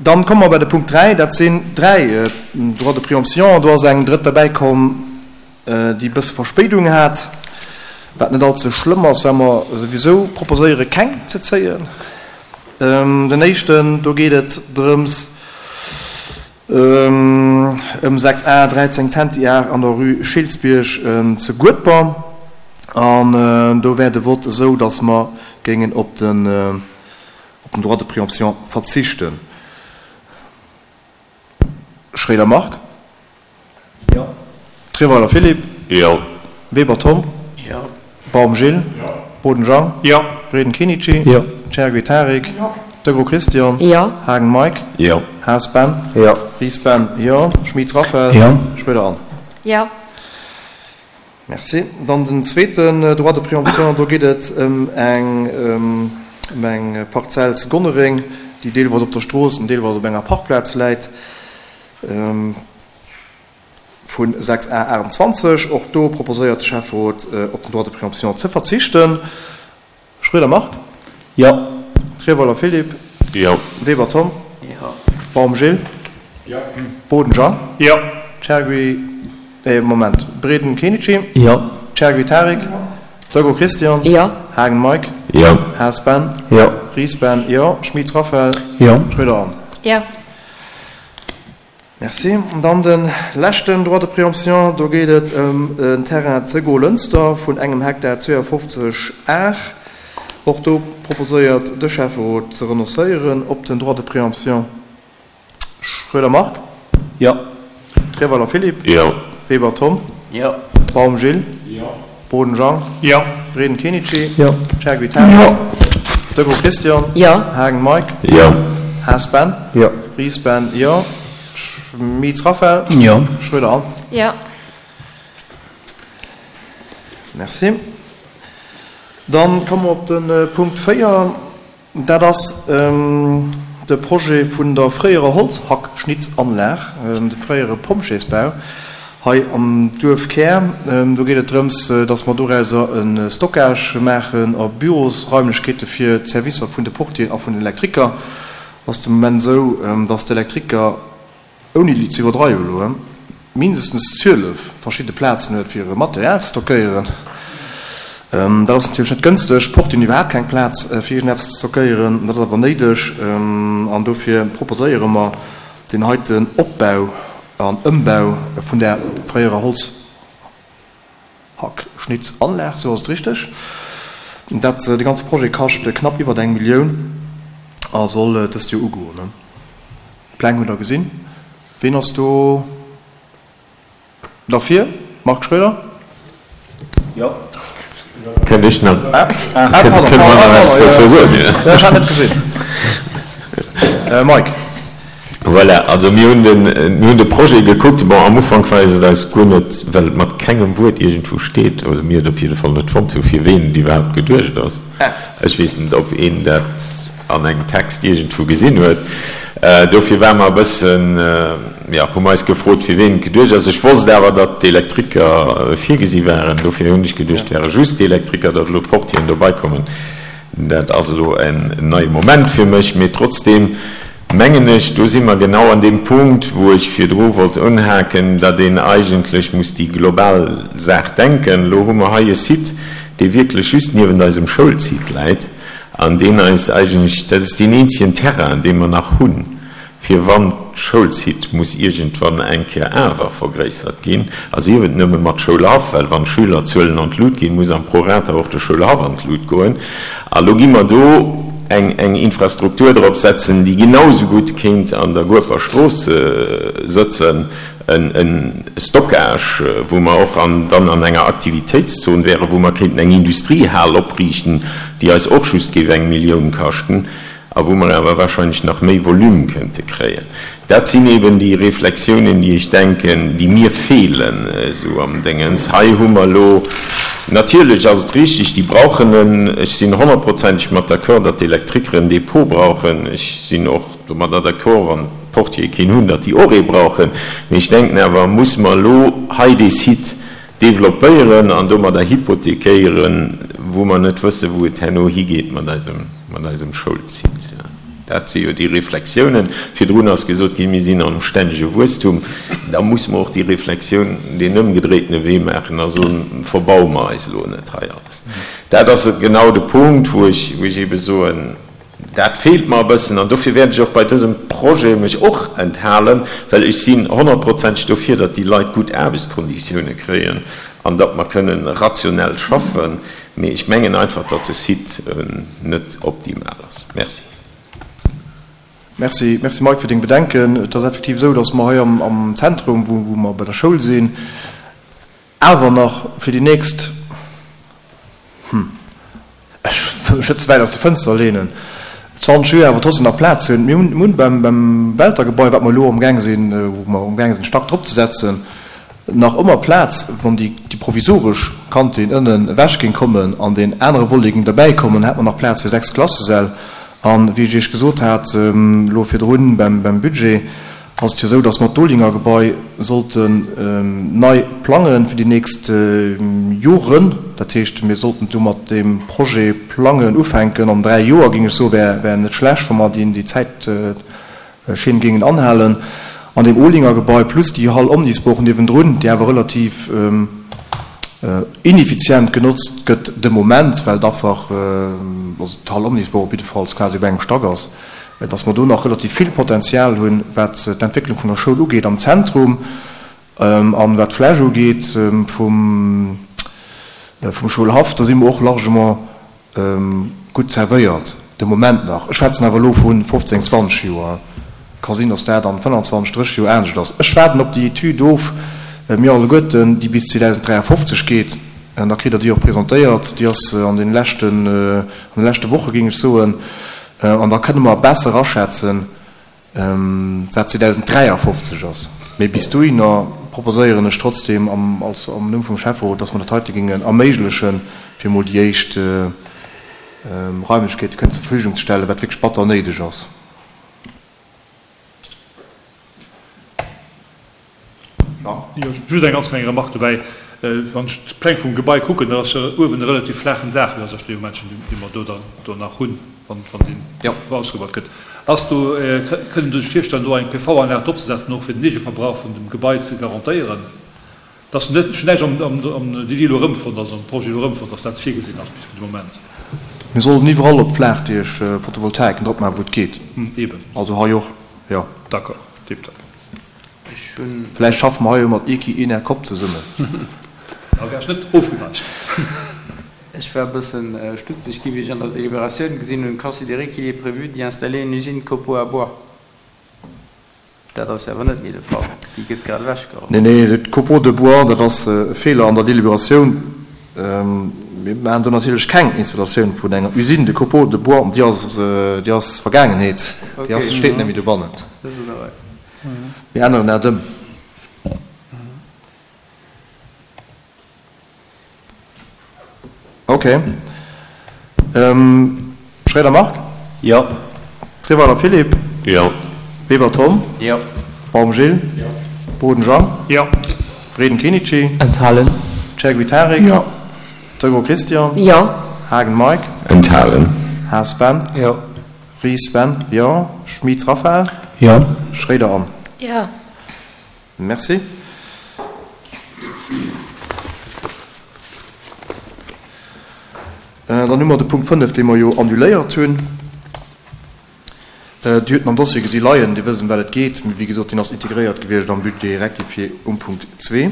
Dann komme mer bei de Punkt 3, dat sinn 3 Droits de préemption. Do ass eng drëtt derbäi komm, déi e bësse Verspéidung hat, wat net allze schlëmm ass, well mer souwisou proposéiere keng ze zéien. Den éischten, do geet et drëms ëm 6 Ar 13 Zentiar an der Rue Schiltzbierg zu Guedber. An do wär de Vott esou, datt mer géingen op den Op den Droit de préemption verzichten. Schroeder Marc? Jo. Treweiler Philippe? Jo. Weber Tom? Jo. Baum Gilles? Jo. Boden Jean? Jo. Breden Kenichi? Jo. Chergui Tarik? Jo. Degraux Christian? Jo. Haagen Mike? Jo. Haas Ben? Jo. Ries Ben? Jo. Schmitz Raphaël? Jo. Schroeder Anne? Jo. Merci. Dann den zweeten Droit de préemption, do geet et ëm eng, ëm eng Parzell zu Gonnereng, déi deelweis op der Strooss an deelweis op enger Parkplaz läit, vu 6 A 28. Och do proposéiert de Schäfferot, op den Droit de préemption ze verzichten. Schroeder Marc? Jo. Treweiler Philippe? Jo. Weber Tom? Jo. Baum Gilles? Jo. Boden Jean? Jo. Chergui, eh Moment, Breden Kenichi? Jo. Chergui Tarik? Jo. Degraux Christian? Jo. Haagen Mike? Jo. Haas Ben? Jo. Ries Ben? Jo. Schmitz Raphaël? Jo. Schroeder Anne? Jo. Merci. An dann de leschten Droit de préemption, do geet et ëm en Terrain ze Golënster vun engem Hektar 52 Ar. Och do proposéiert de Schäfferot ze renoncéieren op den Droit de préemption. Schroeder Marc? Jo. Treweiler Philippe? Jo. Weber Tom? Jo. Baum Gilles? Jo. Boden Jean? Jo. Breden Kenichi? Jo. Chergui Tarik? Jo. Degraux Christian? Jo. Haagen Mike? Jo. Haas Ben? Jo. Ries Ben? Jo. Schmitz Raphaël? Jo. Schroeder Anne? Jo. Merci. Dann komme mer op de Punkt 4. Dat ass de Projet vun der fréierer Holzhackschnitzanlag, de fréiere Pompjeesbau hei am Duerfkär. Do geet et drëms, datt mer dorauser e Stockage maachen a Bürosraimlechkeete fir d'Servicer vun de Portieren a vun den Elektriker. Et ass de Moment esou, datt d'Elektriker, ouni ze iwwerdreiwen elo, mindestens 12 verschidde Plazen huet, fir e Material ze stockéieren. Dat ass natierlech net gënsteg. D'Porte hunn iwwerhaapt keng Plaz, fir iergendeppes ze stockéieren. Dat ass awer néideg an dofir proposéiere mer deen heiten Opbau an Ëmbau vun där fréierer Holzhackschnitzanlag, sou ass et richteg. Dat, de ganze Projet kascht knapp iwwert eng Millioun a soll dëst Joer ugoen. D'Pläng hutt Der gesinn. Ween ass do derfir? Marc Schroeder? Jo. Kënnt ech nach, kënne mer nach eppes dozou soen? Ech hat net gesinn. Mike. Voilà, also mir hunn den, mir hunn de Projet gekuckt. Bon, am Ufank war et eis guer net, well et mat kengem Wuert iergendwou steet, oder mir et op jidde Fall net fonnt hu fir ween et iwwerhaapt geduecht ass. Ech weess net, ob een dat an engem Text iergendwou gesinn huet. Dofir ware mer e bëssen, jo, hu mer eis gefrot, fir ween et geduecht ass. Ech wosst awer, datt d'Elektriker virgesi waren. Dofir hunn ech geduecht, et wäre just d'Elektriker, datt elo d'Portieren dobei kommen, dat ass elo en neie Moment fir mech. Mee trotzdeem mengen ech, do si mer genau an deem Punkt, wou ech virdru wollt unhaken, datt een eigentlech muss déi global Saach denken. Elo hu mer hei e Site, dee wierklech just niewent eisem Schoulsite läit. An deen eis eigentlech, dat ass deen eenzegen Terrain, dee mer nach hunn, fir wann d'Schoulsite muss iergendwann eng Kéier awer vergréissert ginn, a sief et nëmme mat Schoulhaff, well wann d'Schülerzuelen an d'Lut ginn, muss am Prorata och de Schoulhaff an d'Lut goen. A lo gi mer do eng eng Infrastruktur drop setzen, déi genau esou gutt kéint an der Gueper Strooss sëtzen, e Stockage, wou mer och an dann an enger Aktivitéitszon wären, wou mer kéinten eng Industriehal opriichten, déi eis och just géif eng Millioun kaschten a wou mer awer wahrscheinlech nach méi Volume kënnte kréien. Dat sinn eben déi Reflexiounen, déi ech denken, déi mir feelen esou am Déngens. Hei hu mer elo, natierlech ass et richtig, déi brauchen en, ech sinn honnertprozenteg mat d'accord, datt d'Elektriker en Dépôt brauchen. Ech sinn och domadder d'accord, wann d'Portiere keen hunn, datt déi och ee brauchen. Mee ech denken awer, musse mer elo hei dee Site developpéieren an domadder hypothekéieren, wou mer net wëssen, wou et herno higeet mat eisem, mat eisem Schoulsite. Dat si jo déi Reflexiounen. Virdrun ass gesot ginn, mir sinn am stännege Wuesstum. Da musse mer och déi Reflexioun, deen ëmgedréitene Wee maachen a soen, verbaue mer eis elo net hei alles. Dat ass genau de Punkt, wou ech, wou ech eebe soen, dat feelt mer e bëssen. An dofir wäert ech och bei dësem Projet mech och enthalen, well ech sinn honnertprozenteg dofir, datt déi Leit gutt Aarbechtskonditioune kréien an datt mer kënnen rationell schaffen. Mee ech mengen einfach, datt de Site net optimal ass. Merci. Merci, merci Mike fir deng Bedenken. Et ass effektiv esou, datt mer hei am Zentrum, wou mer bei der Schoul sinn, awer nach fir déi nächst, hm, ech wëll mech net ze wäit aus der Fënster leenen, 20 Joer awer trotzdem nach Plaz hunn. Mir hunn beim Welter-Gebai, wat mer elo amgaang sinn, wou mer amgaang sinn, Stack drop ze setzen, nach ëmmer Plaz, wann déi provisoresch Kantin ënnen ewech géing kommen an deen anere Volet géing derbäi kommen, hätt mer nach Plaz fir 6 Klassesäll. A wéi ech Iech gesot hat elo virdrun beim Budget, ass et jo esou, datt mer d'Olinger Gebai sollten nei plange fir déi nächst Joren. Dat heescht, mir sollten do mat deem Projet plangen ufänken an 3 Joer, géing ech soen, wär net schlecht, wa mer déi Zäit Schinn géingen anhalen. An deem Olinger Gebai plus déi Hall Omnisport niewendrun, déi awer relativ ineffizient genotzt gëtt de Moment, well et einfach, also d'Hall Omnisport op jiddefalls quasi op engem Stack ass, dass mer do nach relativ vill Potenzial hunn, wat d'Entwécklung vun der Schoul ugeet am Zentrum an wat d'Fläch ugeet vum Schoulhaff, do si mer och largement Gutt zerwéiert, de Moment nach. Ech schwätzen awer elo vu 15, 20 Joer. Ka sinn, datt dat an 25, 30 Joer anescht ass. Ech waarden op déi Etüd of, mir alleguerten, déi bis 2053 geet. An da kritt Der déi och presentéiert. Déi ass an de leschten, an de leschte Woche géing ech soen. An da kënne mer besser aschätzen, wat 2053 ass. Mee bis dohinner proposéieren ech trotzdem am, als, am Numm vum Schäfferot, dass mer dat heite géingen erméiglechen, fir emol déi éischt Raimlechkeete kënnen zur Verfügung ze stellen, wat wierklech batter néideg ass. Jo, just eng ganz kleng Remarque dobäi. Wann ech d'Pläng vum Gebai kucken, da ass jo uewen e relativ flaachen Daach, dat ass dee Momentchen, dee mer do dann do nach hunn, wann deen ausgebaut gëtt. Ass do, kënnt Dir lech virstellen, do eng PV-Anlag dropzesetzen, och fir den Eegeverbrauch vun dem Gebai ze garantéieren? Et ass net, ech hunn näischt am Devis elo erëmfonnt, also am Projet elo erëmfonnt, dass dat virgesinn ass bis fir de Moment. Mir sollen iwwerall op Flaachdiech Photovoltaiken dropmaachen, wou et geet. Eben. Also hei och, jo. D'accord, tiptop. Ech hunn. Vläicht schaffe mer hei jo mat Equi Enercop zesummen. Da wär ech net ofgeneigt. Ech war e bëssen stutzeg gi wéi ech an der Deliberatioun gesinn hunn, considérer qu'il est prévu d'y installer une usine de copeaux à bois. Dat ass jo awer net méi de Fall, déi gëtt grad ewechgeholl. Nee, nee, d'Copeaux de bois, dat ass e Feeler an der Deliberatioun. Mir maachen do natierlech keng Installatioun vun enger Usine de copeaux de bois, déi ass, déi ass Vergaangenheet, déi ass, steet net méi dobannen. Mir änneren dat ëm. Ok. Schroeder Marc? Jo. Treweiler Philippe? Jo. Weber Tom? Jo. Baum Gilles? Jo. Boden Jean? Jo. Breden Kenichi? Enthalen. Chergui Tarik? Jo. Dregro Christian? Jo. Haagen Mike? Enthalen. Haas Ben? Jo. Ries Ben, Jo. Schmitz Raphaël? Jo. Schroeder Anne? Jo. Merci. Dann hu mer de Punkt 5, dee mer jo annuléiert hunn. Dir hutt en am Dossier gesi leien, Dir wësst, ëm wat et geet. Mee wéi gesot, deen ass integréiert gewiescht am Budget rectifié um Punkt 2.